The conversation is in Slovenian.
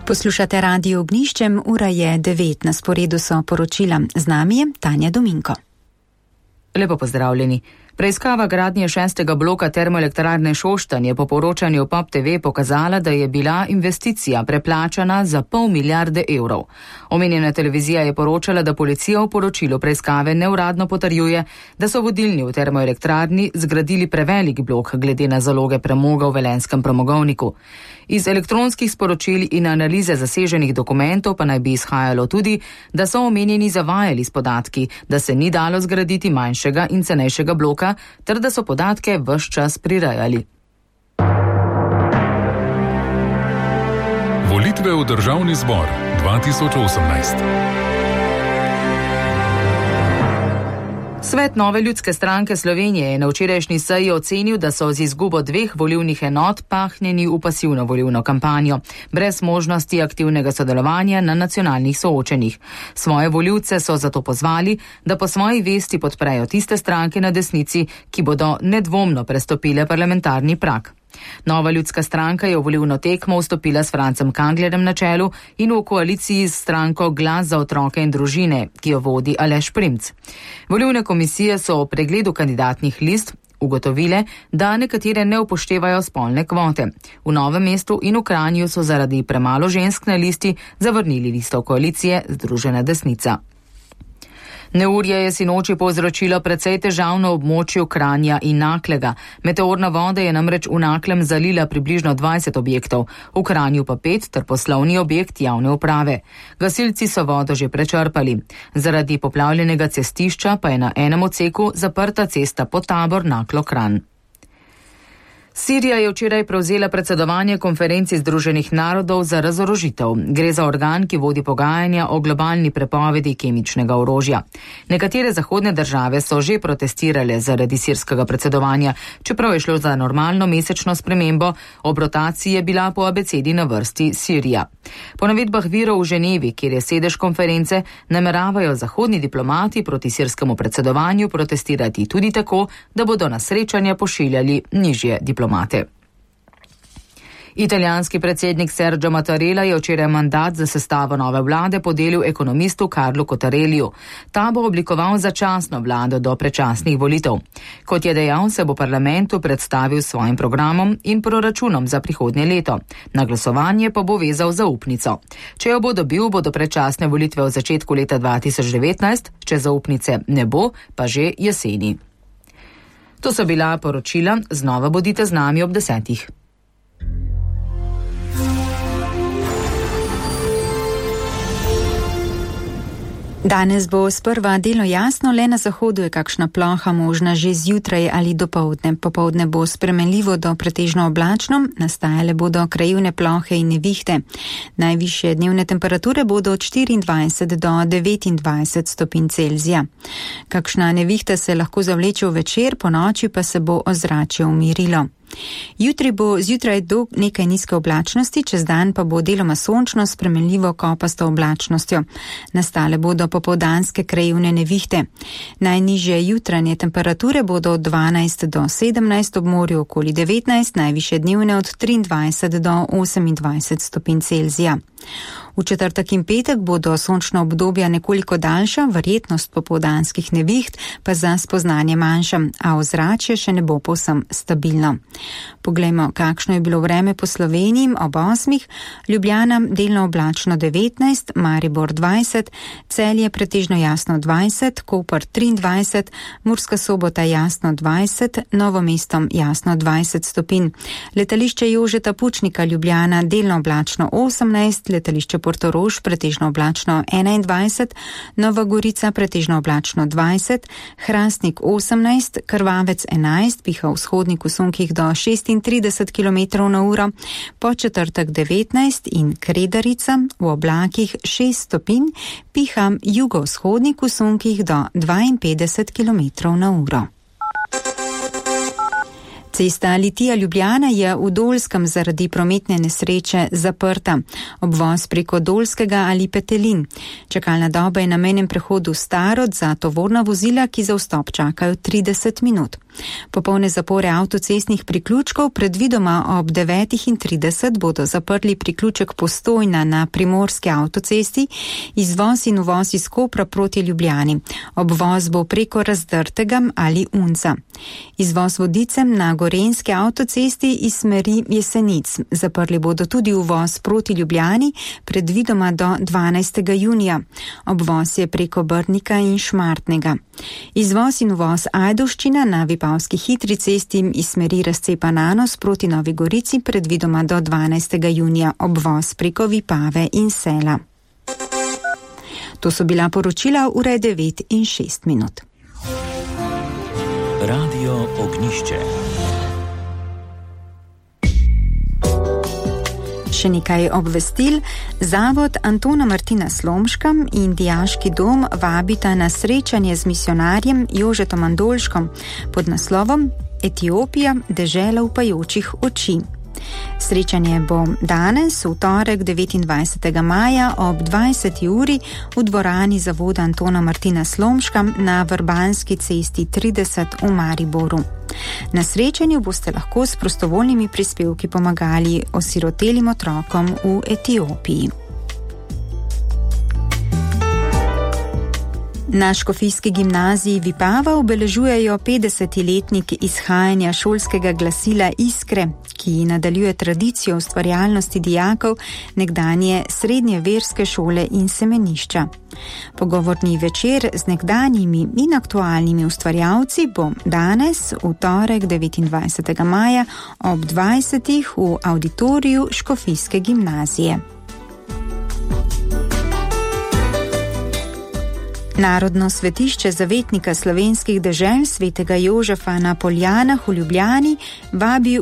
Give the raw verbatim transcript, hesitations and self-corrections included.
Poslušate Radio Ognjiščem, ura je devet, na sporedu so poročila. Z nami je Tanja Dominko. Lepo pozdravljeni. Preiskava gradnje šestega bloka termoelektrarne Šoštanj je po poročanju Pop te ve pokazala, da je bila investicija preplačana za pol milijarde evrov. Omenjena televizija je poročala, da policija v poročilu preiskave neuradno potrjuje, da so vodilni v termoelektrarni zgradili prevelik blok glede na zaloge premoga v Velenjskem premogovniku. Iz elektronskih sporočil in analize zaseženih dokumentov pa naj bi izhajalo tudi, da so omenjeni zavajali s podatki, da se ni dalo zgraditi manjšega in cenejšega bloka, ter da so podatke ves čas prirajali. Volitve v Državni zbor dva tisoč osemnajst. Svet Nove ljudske stranke Slovenije je na včerajšnji seji ocenil, da so z izgubo dveh volilnih enot pahnjeni v pasivno volilno kampanjo, brez možnosti aktivnega sodelovanja na nacionalnih soočenjih. Svoje volivce so zato pozvali, da po svoji vesti podprejo tiste stranke na desnici, ki bodo nedvomno prestopile parlamentarni prag. Nova ljudska stranka je v volilno tekmo vstopila s Francem Kanglerjem na čelu in v koaliciji s stranko Glas za otroke in družine, ki jo vodi Aleš Primc. Volilne komisije so o pregledu kandidatnih list ugotovile, da nekatere ne upoštevajo spolne kvote. V Novem mestu in v Kranju so zaradi premalo žensk na listi zavrnili listo koalicije Združena desnica. Neurje je sinoči povzročilo precej težav na območju Kranja in Naklega. Meteorna voda je namreč v Naklem zalila približno dvajset objektov, v Kranju pa pet ter poslovni objekt javne uprave. Gasilci so vodo že prečrpali. Zaradi poplavljenega cestišča pa je na enem odseku zaprta cesta Potabor Naklo-Kranj. Sirija je včeraj prevzela predsedovanje konferenci Združenih narodov za razorožitev. Gre za organ, ki vodi pogajanja o globalni prepovedi kemičnega orožja. Nekatere zahodne države so že protestirale zaradi sirskega predsedovanja, čeprav je šlo za normalno mesečno spremembo, ob rotaciji je bila po abecedi na vrsti Sirija. Po navedbah virov v Ženevi, kjer je sedež konference, nameravajo zahodni diplomati proti sirskemu predsedovanju protestirati tudi tako, da bodo na srečanja pošiljali nižje diplomate. Italijanski predsednik Sergio Mattarella je včeraj mandat za sestavo nove vlade podelil ekonomistu Carlu Cottarelliju. Ta bo oblikoval začasno vlado do predčasnih volitev. Kot je dejal, se bo parlamentu predstavil s svojim programom in proračunom za prihodnje leto. Na glasovanje pa bo vezal zaupnico. Če jo bo dobil, bodo predčasne volitve v začetku leta dva tisoč devetnajst, če zaupnice ne bo, pa že jeseni. To so bila poročila, znova bodite z nami ob desetih. Danes bo sprva delno jasno, le na zahodu je kakšna ploha možna že zjutraj ali dopoldne. Popoldne bo spremenljivo do pretežno oblačno, nastajale bodo krajevne plohe in nevihte. Najvišje dnevne temperature bodo od štiriindvajset do devetindvajset stopinj Celzija. Kakšna nevihta se lahko zavleče v večer, po noči pa se bo ozračje umirilo. Jutri bo zjutraj do nekaj nizke oblačnosti, čez dan pa bo deloma sončno spremenljivo kopasto oblačnostjo. Nastale bodo popoldanske krajevne nevihte. Najnižje jutranje temperature bodo od dvanajst do sedemnajst, ob morju okoli devetnajst, najvišje dnevne od triindvajset do osemindvajset stopinj Celzija. V četrtek in petek bodo sončna obdobja nekoliko daljša, verjetnost popoldanskih neviht pa za spoznanje manjša, a ozračje še ne bo povsem stabilno. Poglejmo, kakšno je bilo vreme po Sloveniji ob osmih. Ljubljana delno oblačno devetnajst, Maribor dvajset, Celje pretežno jasno dvajset, Koper triindvajset, Murska Sobota jasno dvajset, Novo mesto jasno dvajset stopinj. Letališče Jožeta Pučnika Ljubljana delno oblačno osemnajst, letališče Portorož pretežno oblačno enaindvajset, Nova Gorica pretežno oblačno dvajset, Hrastnik osemnajst, Krvavec enajst, piha vzhodnik v sunkih do šestintrideset kilometrov na uro, po četrtek devetnajst in Kredarica v oblakih šest stopinj, piha jugovzhodnik v sunkih do dvainpetdeset kilometrov na uro. Cesta Litija-Ljubljana je v Dolskem zaradi prometne nesreče zaprta. Obvoz preko Dolskega ali Petelin. Čakalna doba je na mejnem prehodu Starod za tovorna vozila, ki za vstop čakajo trideset minut. Popolne zapore avtocestnih priključkov predvidoma ob devetih trideset bodo zaprli priključek Postojna na primorski avtocesti, izvoz in uvoz iz Kopra proti Ljubljani. Obvoz bo preko Razdrtega ali Unca. Izvoz Vodicem na gorenski avtocesti iz smeri Jesenic. Zaprli bodo tudi uvoz proti Ljubljani, predvidoma do dvanajstega junija. Obvoz je preko Brnika in Šmartnega. Izvoz in uvoz Ajdovščina na Vipavski hitri cesti iz smeri razcepa Nanos proti Novi Gorici, predvidoma do dvanajstega junija. Obvoz preko Vipave in Sela. To so bila poročila, ura je devet in šest minut. Radio Ognjišče. Še nekaj obvestil. Zavod Antona Martina Slomška in Dijaški dom vabita na srečanje z misionarjem Jožetom Andolškom pod naslovom Etiopija, dežela upajočih oči. Srečanje bo danes, v torek devetindvajsetega maja ob dvajseti uri v dvorani zavoda Antona Martina Slomška na Vrbanski cesti trideset v Mariboru. Na srečanju boste lahko s prostovoljnimi prispevki pomagali osirotelim otrokom v Etiopiji. Na Škofijski gimnaziji Vipava obeležujejo petdeseti letnik izhajanja šolskega glasila Iskre, ki nadaljuje tradicijo ustvarjalnosti dijakov nekdanje srednje verske šole in semenišča. Pogovorni večer z nekdanjimi in aktualnimi ustvarjalci bo danes, v torek devetindvajsetega maja ob dvajsetih v avditoriju Škofijske gimnazije. Narodno svetišče zavetnika slovenskih dežel svetega Jožefa na Poljanah v Ljubljani vabi